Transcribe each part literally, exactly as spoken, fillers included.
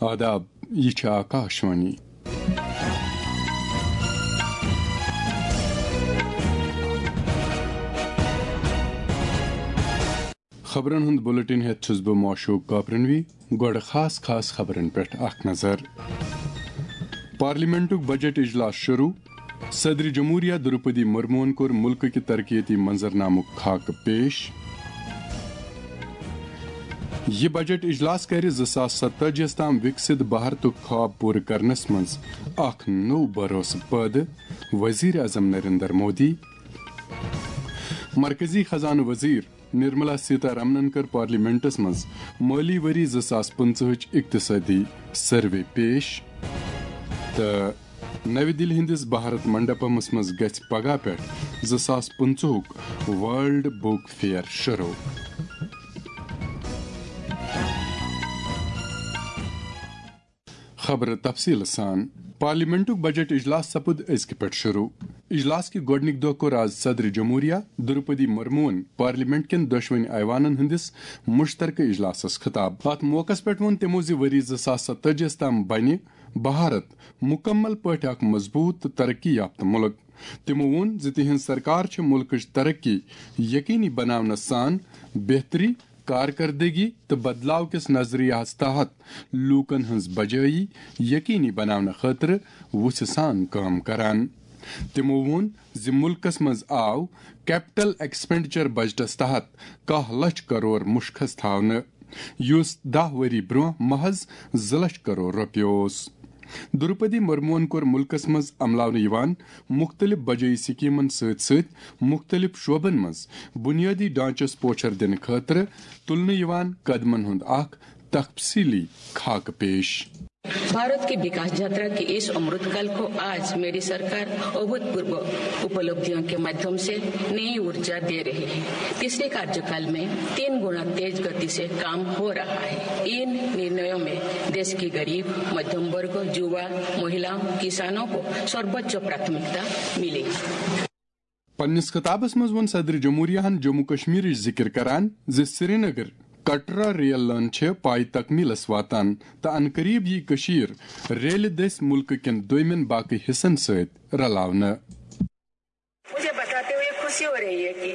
آداب، یہِ چھِ آکاشوانی۔ خبرن ہُنٛد بُلٹن ہٮ۪تھ چھُس بہٕ معشوق کاپرنوی۔ گۄڈٕ خاص خاص خبرن پٮ۪ٹھ اکھ نظر۔ پارلیمنٹُک بجٹ اجلاس شروع۔ صدر جمہوریہ درپدی مرموہن کوٚر ملکہٕ کہِ ترقیتی منظرنامُک خاکہٕ پیش۔ یہِ بجٹ اجلاس کرِ زٕ ساس ستٲجیَس تام وِکسِت بھارتُک خواب پوٗرٕ کرنس منٛز اکھ نوٚو بھروسہٕ پٲدٕ، وزیر اعظم نریندر مودی۔ مرکزی خزانہٕ وزیر نرملا سیتا رمنن کٔر پارلیمنٹس منٛز مٲلی ؤری زٕ ساس پٕنٛژٕہٕچ اقتصٲدی سروے پیش۔ تہٕ نَوِ دِلہِ ہٕنٛدِس بھارت منڈپمس منٛز گژھِ پگاہ پٮ۪ٹھ زٕ ساس پٕنٛژٕہُک ورلڈ بُک فیئر شروع۔ خبرٕ تفصیٖل سان۔ پارلیمنٹُک بجٹ اجلاس سپُد أزکہِ پٮ۪ٹھ شروع۔ اجلاس کہِ گۄڈٕنِکۍ دۄہ کوٚر آز صدر جمہوریہ درپدی مرموہن پارلیمنٹ کٮ۪ن دۄشوٕنی ایوانن ہٕنٛدِس مشترکہٕ اجلاسس خطاب۔ اتھ موقعس پٮ۪ٹھ ووٚن تِمو زِ ؤری زٕ ساس ستٲجیَس تام بنہِ بھارت مکمل پٲٹھۍ اکھ مضبوط تہٕ ترقی یافتہٕ ملک۔ تِمو ووٚن زِ تِہنٛز سرکار چھِ ملکٕچ ترقی یقینی بناونس سان بہتری، کارکردگی تہٕ بدلاو کِس نظریہس تحت لوٗکن ہٕنٛز بجٲیی یقینی بناونہٕ خٲطرٕ وُژھِ سان کٲم کران۔ تِمو ووٚن زِ ملکس منٛز آو کیپٹل ایکسپینڈیچر بجٹس تحت کاہ لچھ کرور مُشخص تھاونہٕ، یُس دَہ ؤری برٛونٛہہ محض زٕ لچھ کرور رۄپیہِ اوس۔ درپدی مرموہن کوٚر ملکس منٛز عملاونہٕ یِوان مُختٔلِف بجٲیی سکیمن سۭتۍ سۭتۍ مُختٔلِف شعبن منٛز بنیٲدی ڈھانچس پوچھر دِنہٕ خٲطرٕ تُلنہٕ یِوان قدمن ہُنٛد اکھ تفصیٖلی خاکہٕ پیش۔ भारत की विकास यात्रा के इस अमृतकाल को आज मेरी सरकार अभूतपूर्व उपलब्धियों के माध्यम से नई ऊर्जा दे रही है। पिछले कार्यकाल में तीन गुना तेज गति से काम हो रहा है। इन निर्णयों में देश की गरीब, मध्यम वर्ग, युवा, महिलाओं, किसानों को सर्वोच्च प्राथमिकता मिली। پننِس خطابس منٛز ووٚن صدر جمہوریہ ہن جموں کشمیرٕچ ذِکر کران زِ سرینگر کٹرا ریل لٲن چھِ پایہِ تکمیلس واتان تہٕ عنقریب یِیہِ کٔشیٖر ریلہِ دٔسۍ مُلکہٕ کٮ۪ن دوٚیمٮ۪ن باقٕے حصن سۭتۍ رلاونہٕ۔ मुझे बताते हुए खुशी हो रही है कि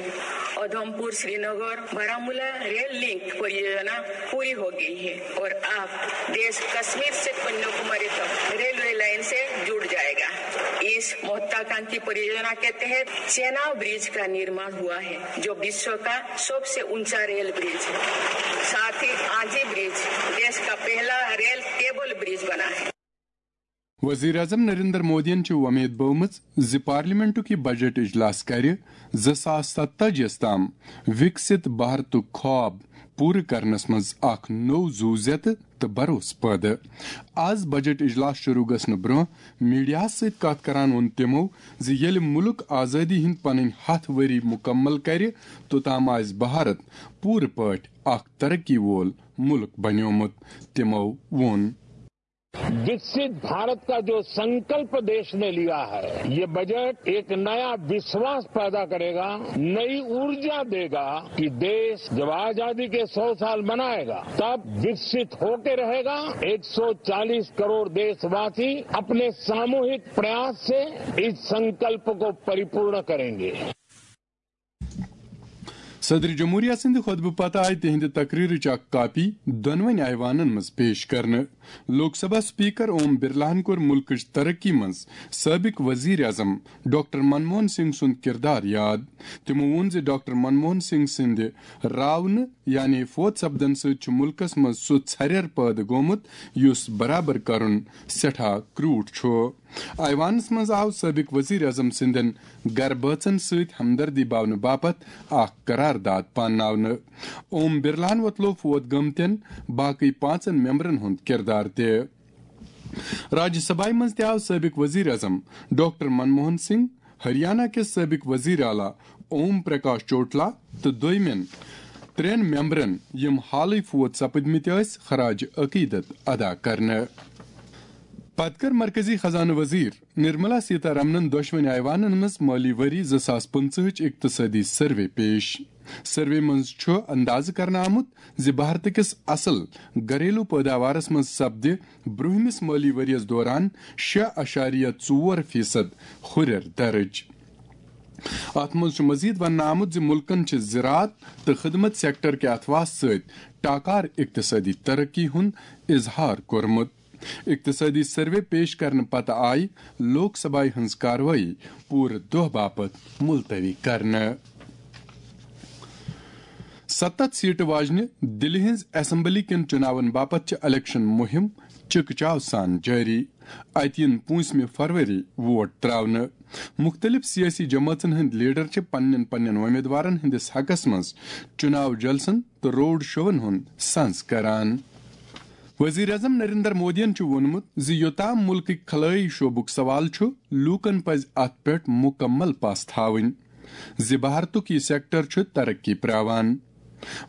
उधमपुर श्रीनगर बारामूला रेल लिंक परियोजना पूरी हो गई है और अब देश कश्मीर से कन्याकुमारी तक रेलवे लाइन से जुड़ जाएगा। इस महत्वाकांक्षी परियोजना के तहत चेनाब ब्रिज का निर्माण हुआ है, जो विश्व का सबसे ऊंचा रेल ब्रिज है। साथ ही आजी ब्रिज देश का पहला रेल केबल ब्रिज बना है। وزیر اعظم نریندر مودیَن چھِ وۄمید بٲومٕژ زِ پارلیمنٹُک یہِ بجٹ اجلاس کرِ زٕ ساس ستٲجیَس تام وِکسِت بھارتُک خواب پوٗرٕ کرنس منٛز اکھ نوٚو زُو زیتہٕ تہٕ بھروسہٕ پٲدٕ۔ آز بجٹ اجلاس شروع گژھنہٕ برٛونٛہہ میڈیاہَس سۭتۍ کتھ کران ووٚن تِمو زِ ییٚلہِ مُلک آزٲدی ہٕنٛدۍ پنٕنۍ ہَتھ ؤری مُکمل کرِ، توٚتام آسہِ بھارت پوٗرٕ پٲٹھۍ اکھ ترقی وول مُلک بنیومُت۔ تِمو ووٚن، विकसित भारत का जो संकल्प देश ने लिया है, ये बजट एक नया विश्वास पैदा करेगा, नई ऊर्जा देगा कि देश जब आजादी के सौ साल मनाएगा, तब विकसित होके रहेगा। एक सौ चालीस करोड़ देशवासी अपने सामूहिक प्रयास से इस संकल्प को परिपूर्ण करेंगे। صدر جمہوریہ سٕنٛدِ خطبہٕ پتہٕ آیہِ تِہنٛدِ تقریرٕچ اکھ کاپی دۄنوٕنی ایوانن منٛز پیش کرنہٕ۔ لوک سبھا سپیکر اوم برلاہن کوٚر مُلکٕچ ترقی منٛز سٲبق وزیر اعظم ڈاکٹر منموہن سنگھ سُنٛد کردار یاد۔ تِمو ووٚن زِ ڈاکٹر منموہن سنگھ سٕنٛدِ راونہٕ یعنی فوت سپدن سۭتۍ چھُ مُلکس منٛز سُہ ژھریر پٲدٕ گوٚمُت، یُس برابر کرُن سٮ۪ٹھاہ کرٛوٗٹھ چھُ۔ ایوانس منٛز آو سٲبق وزیر اعظم سٕنٛدٮ۪ن گرٕ بٲژن سۭتۍ ہمدردی باونہٕ باپتھ اکھ قرارداد پانناونہٕ۔ اوم برلاہن وۄتلوو فوت گٔمتٮ۪ن باقٕے پانٛژن ممبرن ہُنٛد کردار تہِ۔ راجیہ سبھایہ منٛز تہِ آو سٲبق وزیر اعظم ڈاکٹر منموہن سنگھ، ہریانہ کِس سٲبق وزیر اعلیٰ اوم پرکاش چوٹلا تہٕ دویمٮ۪ن ترٛٮ۪ن ممبرن، یِم حالٕے فوت سپٕدمٕتۍ ٲسۍ، خراج عقیدت ادا کرنہٕ۔ پتہٕ کٔر مرکزی خزانہٕ وزیر نرملا سیتا رمنن دۄشوٕنی ایوانن منٛز مٲلی ؤری زٕ ساس پٕنٛژٕہٕچ اقتصٲدی سروے پیش۔ سروے منٛز چھُ اندازٕ کرنہٕ آمُت زِ بھارتہٕ کِس اصل گھریلو پٲداوارس منٛز سپدِ برٛونٛہمِس مٲلی ؤریَس دوران شےٚ اعشاریہ ژور فیصد ہُرٮ۪ر درٕج۔ اتھ منٛز چھُ مزید وننہٕ آمُت زِ مُلکن چھِ زراعت تہٕ خدمت سیکٹر کہِ اتھواسہٕ سۭتۍ ٹاکار اقتصٲدی ترقی ہُنٛد اظہار کوٚرمُت۔ اقتصٲدی سروے پیش کرنہٕ پتہٕ آیہِ لوک سبھایہ ہٕنٛز کاروٲیی پوٗرٕ دۄہ باپتھ ملتوی کرنہٕ۔ ستتھ سیٹہٕ واجنہِ دِلہِ ہٕنٛز اسمبلی کٮ۪ن چُناون باپتھ چھِ الیکشن مُہِم چِکہٕ چاو سان جٲری۔ اتہِ یِن پوٗنٛژمہِ فروری ووٹ تراونہٕ۔ مُختٔلِف سیٲسی جمٲژن ہٕنٛدۍ لیڈر چھِ پننٮ۪ن پننٮ۪ن وۄمیدوارن ہٕنٛدِس حقس منٛز چُناو جلسن تہٕ روڈ شوون ہُنٛد سنز کران۔ وزیر اعظم نریندر مودیَن چھُ ووٚنمُت زِ یوٚتام مُلکٕکۍ خلٲیی شعبُک سوال چھُ، لوٗکَن پَزِ اَتھ پٮ۪ٹھ مُکمل پَژھ تھاوٕنۍ زِ بھارتُک یہِ سیکٹر چھُ ترقی پراوان۔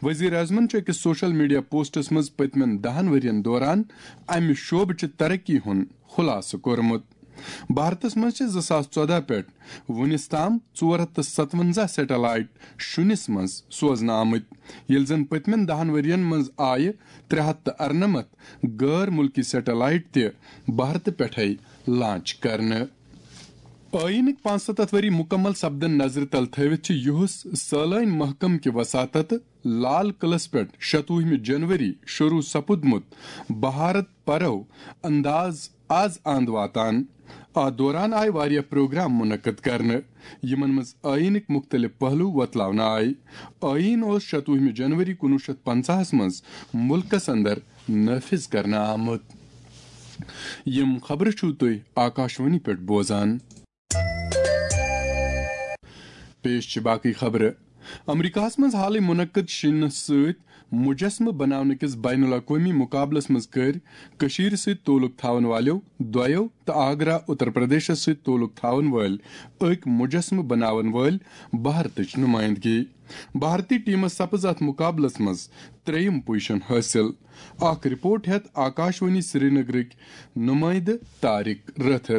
وزیر اعظمَن چھُ أکِس سوشل میڈیا پوسٹَس منٛز پٔتمٮ۪ن دَہَن ؤرۍ یَن دوران اَمہِ شعبہٕ چہِ ترقی ہُنٛد خُلاصہٕ کوٚرمُت۔ بھارتس منٛز چھِ زٕ ساس ژۄدہ پٮ۪ٹھ وُنِس تام ژور ہتھ تہٕ ستونزہ سیٹلائٹ شُنِس منٛز سوزنہٕ آمٕتۍ، ییٚلہِ زن پٔتمٮ۪ن دَہَن ؤرۍ یَن منٛز آیہِ ترٛےٚ ہتھ تہٕ ارنمتھ غٲر مُلکی سیٹلائٹ تہِ بھارتہٕ پٮ۪ٹھے لانچ کرنہٕ۔ ٲییٖنٕکۍ پانٛژستتھ ؤری مُکمل سپدن نظرِ تل تھٲوِتھ چھِ یُہُس سٲلٲنۍ محکمہٕ کہِ وساطتہٕ لال قلعس پٮ۪ٹھ شتوُہمہِ جنوری شروع سپُدمُت بھارت پرو انداز آز آند واتان۔ اتھ دوران آیہِ واریاہ پروگرام منعقد کرنہٕ، یِمن منٛز ٲییٖنٕکۍ مُختٔلِف پہلو وۄتلاونہٕ آیہِ۔ ٲییٖن اوس شتوُہمہِ جنوری کُنوُہ شیٚتھ پنژاہس منٛز مُلکس اندر نافذ کرنہٕ آمُت۔ یِم خبرٕ چھِو تُہۍ آکاشوانی پٮ۪ٹھ بوزان۔ پیش چھِ باقٕے خبرٕ۔ امریکہس منٛز حالٕے منعقد شِنس سۭتۍ مجسمہٕ بناونہٕ کِس بین الاقوٲمی مقابلس منٛز کٔرۍ کٔشیٖرِ سۭتۍ تعلق تھاون والٮ۪و دۄیو تہٕ آگرہ، اتر پردیشس سۭتۍ تعلق تھاون وٲلۍ أکۍ مجسمہٕ بناون وٲلۍ بھارتٕچ نمائندگی۔ بھارتی ٹیمس سپٕز اتھ مقابلس منٛز ترٛیٚیِم پوزیشن حٲصِل۔ اکھ رپورٹ ہٮ۪تھ آکاشوانی سرینگرٕکۍ نمائندٕ طارق رٲتھر۔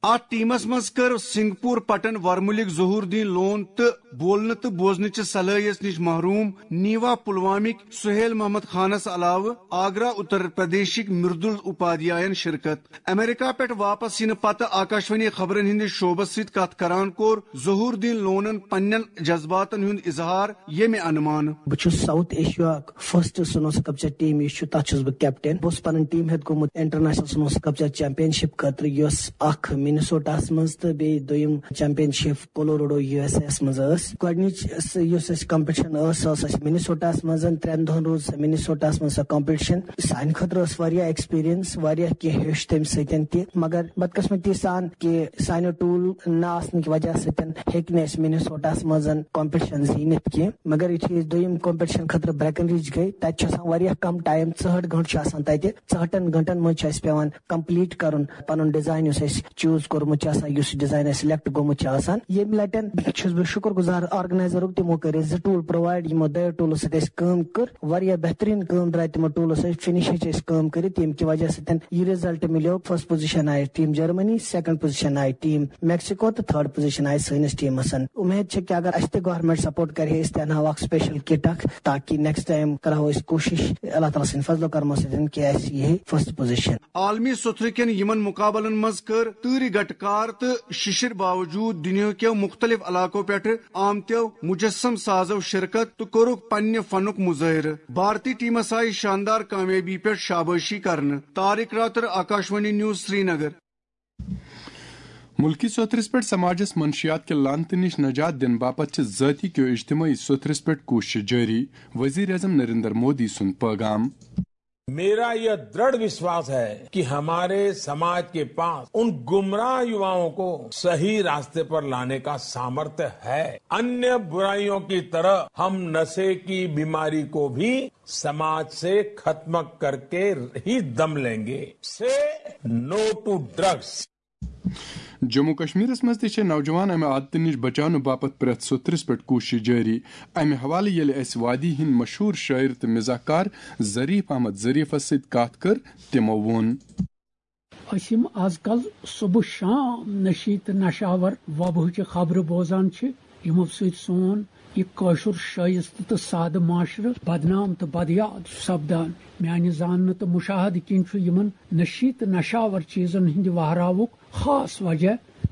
اتھ ٹیمس منٛز کٔر سنگپور پٹن ورمُلٕکۍ ظہور الدین لون تہٕ بولنہٕ تہٕ بوزنہٕ چہِ صلٲحیژ نِش محروم نیوا پلوامٕکۍ سہیل محمد خانس علاوٕ آگرہ اتر پردیشٕکۍ مردل اپادھیاین شرکت۔ امریکہ پٮ۪ٹھ واپس یِنہٕ پتہٕ آکاشوانی خبرن ہٕنٛدِس شعبس سۭتۍ کتھ کران کوٚر ظہور الدین لونن پننٮ۪ن جذباتن ہُنٛد اظہار، ییٚمہِ انہٕ مانہٕ۔ بہٕ چھُس ساؤتھ ایشیاہُک فرسٹ سنو سکلپچر ٹیم یُس چھُ، تَتھ چھُس بہٕ کیپٹن۔ بہٕ اوسُس پنٕنۍ ٹیم ہیتھ گوٚمُت انٹرنیشنل سنو سکلپچر چیمپین شپ خٲطرٕ، یۄس اکھ منیسوٹاہس منٛز تہٕ بیٚیہِ دوٚیِم championship Colorado, U S A یس منٛز ٲس۔ گۄڈٕنِچ سۄ یۄس اَسہِ کمپٹیشن ٲس، سۄ ٲس اَسہِ منیسوٹاہس منٛز۔ ترٛٮ۪ن دۄہن روٗز سۄ منیسوٹاہس منٛز سۄ کمپٹیشن۔ سانہِ خٲطرٕ ٲس واریاہ ایکسپیرینس، واریاہ کینٛہہ ہیوٚچھ تَمہِ سۭتۍ تہِ، مگر بدقسمتی سان کہِ سانیو ٹول نہ آسنہٕ کہِ وجہ سۭتۍ ہیٚکۍ نہٕ أسۍ منیسوٹاہس منٛز کمپٹیشن زیٖنِتھ کینٛہہ۔ مگر یُتھُے أسۍ دوٚیِم کمپٹیشن خٲطرٕ برٛیکن رج گٔے، تتہِ چھُ آسان واریاہ کم ٹایم، ژُہٲٹھ گھنٹہٕ چھُ آسان تتہِ۔ ژُہٲٹھن گھنٹن منٛز چھُ اَسہِ پٮ۪وان کمپلیٹ کرُن پنُن ڈیزاین یُس اَسہِ چوٗز کوٚرمُت چھُ آسان، یُس ڈیزاین اَسہِ سلیکٹ گوٚمُت چھُ آسان۔ ییٚمہِ لٹہِ چھُس بہٕ شُکر گُزار آرگنایزرُک، تِمو کٔرۍ اَسہِ زٕ ٹوٗل پرووایڈ، یِمو دۄیو ٹوٗلو سۭتۍ اَسہِ کٲم کٔر۔ واریاہ بہتریٖن کٲم درٛاے تِمو ٹوٗلو سۭتۍ، فِنِش ہیٚچ اَسہِ کٲم کٔرِتھ، ییٚمہِ کہِ وجہ سۭتۍ یہِ رِزلٹ مِلیو۔ فرسٹ پوزیشن آیہِ ٹیٖم جرمنی، سیکنڈ پوزیشن آیہِ ٹیٖم میکسیکو تہٕ تھٲرڈ پوزیشن آیہِ سٲنِس ٹیٖمس۔ اُمید چھِ کہِ اگر اَسہِ تہِ گورمنٹ سپورٹ کرِ ہے، أسۍ تہِ اَنہاو اکھ سپیشل کٹ اکھ، تاکہِ نیکسٹ ٹایم کرہو أسۍ کوٗشش اللہ تعالیٰ سٕنٛدِ فضلو کرمو سۭتۍ کہِ اَسہِ یی ہے فرسٹ پوزیشن۔ عالمی سوٚتھرٕ کٮ۪ن یِمن مُقابلن منٛز کٔر تۭرِ گٹہٕ کار تہٕ شِشِر باوجوٗد دُنیاہکیو مُختٔلِف علاقو پٮ۪ٹھٕ آمتیو مُجسم سازو شرکت تہٕ کوٚرُکھ پننہِ فنُک مُظٲہرٕ۔ بھارتی ٹیمس آیہِ شاندار کامیٲبی پٮ۪ٹھ شابٲشی کرنہٕ۔ طارق راتر، آکاشوانی نیوز، سرینگر۔ مُلکی سوٚتھرِس پٮ۪ٹھ سماجس منشیات کہِ لعنتہٕ نِش نجات دِنہٕ باپتھ چھِ ذٲتی کیو اجتمٲعی سوٚتھرِس پٮ۪ٹھ کوٗششہٕ جٲری، وزیر اعظم نریندر مودی سُنٛد پٲغام۔ मेरा यह दृढ़ विश्वास है कि हमारे समाज के पास उन गुमराह युवाओं को सही रास्ते पर लाने का सामर्थ्य है। अन्य बुराइयों की तरह हम नशे की बीमारी को भी समाज से खत्म करके ही दम लेंगे। से नो टू ड्रग्स। جموں کشمیرس منٛز تہِ چھِ نوجوان امہِ عادتہٕ نِش بچاونہٕ باپتھ پرٛٮ۪تھ سوٚتھرِس پٮ۪ٹھ کوٗشش جٲری۔ امہِ حوالہٕ ییٚلہِ اسہِ وادی ہٕنٛدۍ مشہوٗر شٲعر تہٕ مزاح کار ظریف احمد ظریفس سۭتۍ کتھ کٔر، تِمو ووٚن۔ أسۍ یِم از کل صبح شام نشی تہٕ نشاور وبہٕچہِ خبرٕ بوزان چھِ، یِمو سۭتۍ سون یہِ کٲشُر شٲیِستہٕ تہٕ سادٕ معاشرٕ بدنام تہٕ بدیاد چھُ سپدان۔ میانہِ زاننہٕ تہٕ مُشاہدٕ کِنۍ چھُ یِمن نشی تہٕ نشاور چیٖزن ہٕنٛدِ وہراوُک خاص وجہ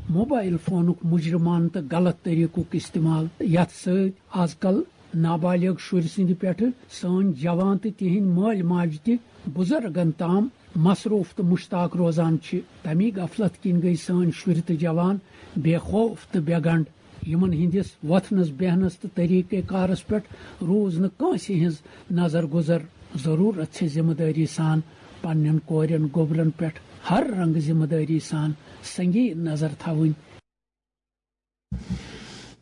موبائل فونُک مجرمانہٕ تہٕ غلط طریقُک استعمال، یتھ سۭتۍ از کل نابالغ شُرۍ سٕنٛدِ پٮ۪ٹھٕ سٲنۍ جوان تہٕ تِہنٛدۍ مٲلۍ ماجہِ تہِ بُزرگن تام مصروف تہٕ مشتاق روزان چھِ۔ تمی غفلت کِنۍ گٔیہِ سٲنۍ شُرۍ تہٕ جوان بے خوف تہٕ بے گنڈ۔ یِمن ہٕنٛدِس وۄتھنس، بیہنس تہٕ طریقہ کارس پٮ۪ٹھ روٗز نہٕ کٲنٛسہِ ہٕنٛز نظر گُزر۔ ضروٗرت چھِ ذمہٕ دٲری سان پننٮ۪ن کورٮ۪ن گوبرن پٮ۪ٹھ ہر رنگہٕ ذمہٕ دٲری سان سنگین نظر تھاوٕنۍ۔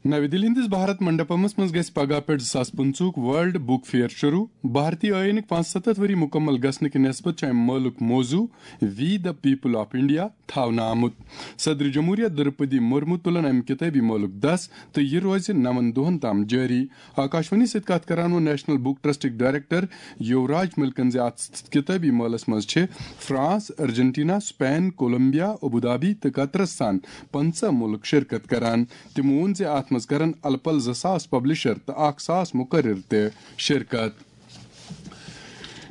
نَوِ دِلہِ ہٕنٛدِس بھارت منڈپمس منٛز گژھِ پگاہ پٮ۪ٹھ زٕ ساس پٕنٛژٕہُک ورلڈ بُک فیئر شروٗع۔ بھارتی ٲییٖنٕکۍ پانٛژستتھ ؤری مُکمل گژھنہٕ کہِ نسبت چھُ امہِ مٲلُک موضوع We the People of India تھاونہٕ آمُت۔ صدر جمہوریہ درپدی مرمو تُلن امہِ کِتٲبی مٲلُک دس تہٕ یہِ روزِ نَوَن دۄہن تام جٲری۔ آکاشوانی سۭتۍ کتھ کران ووٚن نیشنل بُک ٹرسٹٕکۍ ڈائریکٹر یوراج ملکن زِ اتھ کِتٲبی مٲلس منٛز چھِ فرانس، ارجنٹینا، سپین، کولمبیا، ابودھابی تہٕ قطرس سان پنٛژاہ مُلک شرکت کران۔ تِمو ووٚن زِ اتھ منٛز کرن الہٕ پلہٕ زٕ ساس پبلشر تہٕ اکھ ساس مقرر تہِ شرکت۔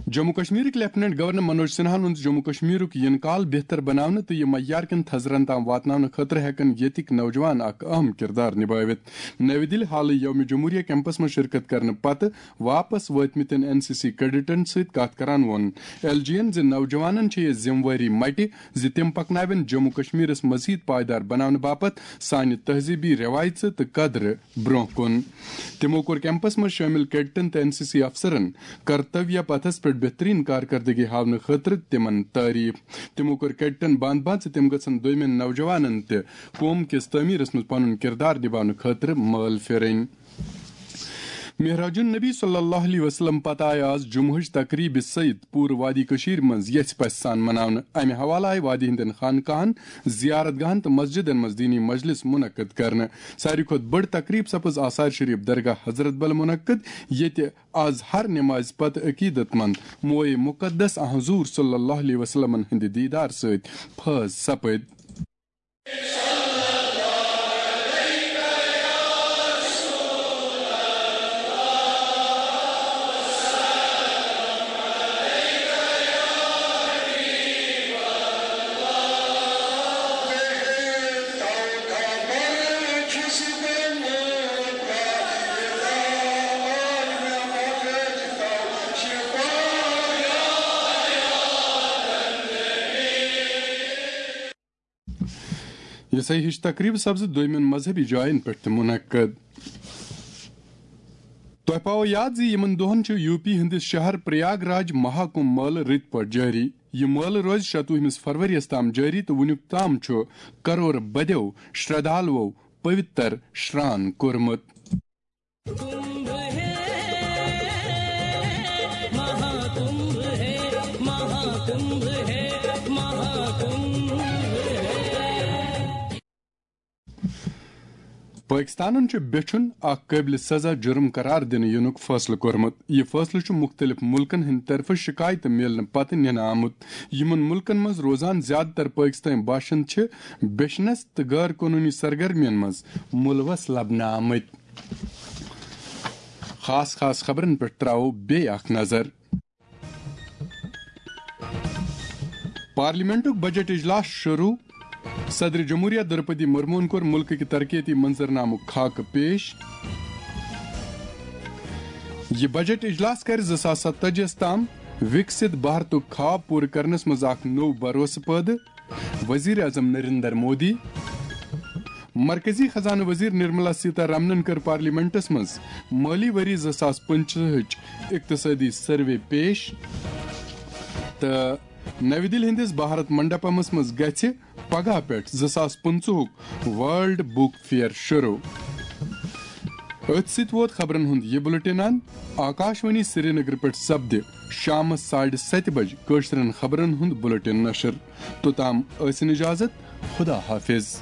جموں کشمیرٕکۍ لیفٹیننٹ گورنر منوج سنہاہن ووٚن زِ جموں کشمیرُک یِنہٕ کال بہتر بناونہٕ تہٕ یہِ معیار کٮ۪ن تھزرن تام واتناونہٕ خٲطرٕ ہٮ۪کن ییٚتِکۍ نوجوان اکھ اہم کردار نبٲوِتھ۔ نَوِ دِلہِ، حالٕے یوم جمہوریہ کیمپس منٛز شرکت کرنہٕ پتہٕ واپس وٲتمٕتٮ۪ن این سی سی کیڈٹن سۭتۍ کتھ کران ووٚن ایل جی ین زِ نوجوانن چھےٚ یہِ ذمہٕ وٲری مٹہِ زِ تِم پکناوَن جموں کشمیرس مزید پائیدار بناونہٕ باپتھ سانہِ تہذیبی رٮ۪وایژٕ تہٕ قدرٕ برونٛہہ کُن۔ تِمو کوٚر کیمپس منٛز شٲمِل کیڈٹن تہٕ این سی سی افسرن کرتویہ پتھس پٮ۪ٹھ بہترین کارکردگی ہاونہٕ خٲطرٕ تِمن تعریف۔ تِمو کوٚر کیڈٹن بانٛد بانٛد زِ تِم گژھن دوٚیمٮ۪ن نوجوانن تہِ قوم کِس تعمیرس منٛز پنُن کردار نباونہٕ خٲطرٕ مٲل پھیرٕنۍ۔ معراج النبی صلی اللہ علیہ وسلم پتہٕ آیہِ آز جمعہٕچ تقریبہِ سۭتۍ پوٗرٕ وادی کٔشیٖرِ منٛز یژھِ پژھِ سان مناونہٕ۔ امہِ حوالہٕ آیہِ وادی ہٕنٛدٮ۪ن خانقاہن، زیارت گاہن تہٕ مسجدن منٛز دینی مجلس منعقد کرنہٕ۔ ساروی کھۄتہٕ بٔڑ تقریب سپٕز آثار شریف درگاہ حضرت بل منعقد، ییٚتہِ آز ہر نمازِ پتہٕ عقیدت مند موئے مقدس حضور صلی اللہ علیہ وسلمن ہٕنٛدِ دیدار سۭتۍ فٲض سپٕدۍ۔ یِژھے ہِش تقریب سپزٕ دوٚیمٮ۪ن مذہبی جاین پٮ۪ٹھ تہِ منعقد۔ تۄہہِ پاوو یاد زِ یِمن دۄہن چھُ یو پی ہٕنٛدِس شہر پریاگ راج مہا کُمبھ مٲلہٕ رٕتۍ پٲٹھۍ جٲری۔ یہِ مٲلہٕ روزِ شَتوُہمِس فروریَس تام جٲری تہٕ وُنیُک تام چھُ کرور بدیو شردھالوو پویتر شران کوٚرمُت۔ कुंभ है, महाकुंभ है, महाकुंभ है, महाकुंभ है। پٲکِستانن چھُ بیچھُن اکھ قٲبلِ سزا جُرم قرار دِنہٕ یِنُک فٲصلہٕ کوٚرمُت۔ یہِ فٲصلہٕ چھُ مُختٔلِف مُلکن ہٕنٛدِ طرفہٕ شِکایتہٕ میلنہٕ پتہٕ نِنہٕ آمُت۔ یِمن مُلکن منٛز روزان زیادٕ تر پٲکِستٲنۍ باشند چھِ بیچھنس تہٕ غٲر قونوٗنی سرگرمین منٛز مُلوث لبنہٕ آمٕتۍ۔ خاص خاص خبرن پٮ۪ٹھ تراوو بیٚیہِ اکھ نظر۔ پارلیمنٹُک بجٹ اجلاس شروع۔ صدر جمہوریہ درپدی مرموہن کوٚر ملکٕکۍ ترقیتی منظرنامُک خاکہٕ پیش۔ یہِ بجٹ اجلاس کرِ زٕ ساس ستتٲجی ہس تام وِکسِت بھارتُک خواب پوٗرٕ کرنس منٛز اکھ نوٚو بھروسہٕ پٲدٕ۔ وزیر اعظم نریندر مودی۔ مرکزی خزانہٕ وزیر نرملا سیتا رامنن کٔر پارلیمنٹس منٛز مٲلی ؤری زٕ ساس پٕنٛژٕہٕچ اقتصٲدی سروے پیش۔ تہٕ نَوِ دِلہِ ہٕنٛدِس بھارت منڈپمس منٛز گژھِ پگاہ پٮ۪ٹھ زٕ ساس پٕنٛژٕہُک ورلڈ بُک فیئر شروع۔ أتھۍ سۭتۍ ووت خبرن ہُنٛد یہِ بُلٹن اند۔ آکاشوانی سرینگر پٮ۪ٹھ سپدِ شامس ساڑِ ستہِ بجہِ کٲشرٮ۪ن خبرن ہُنٛد بُلٹن نشر۔ توٚتام ٲسِن اجازت۔ خدا حافظ۔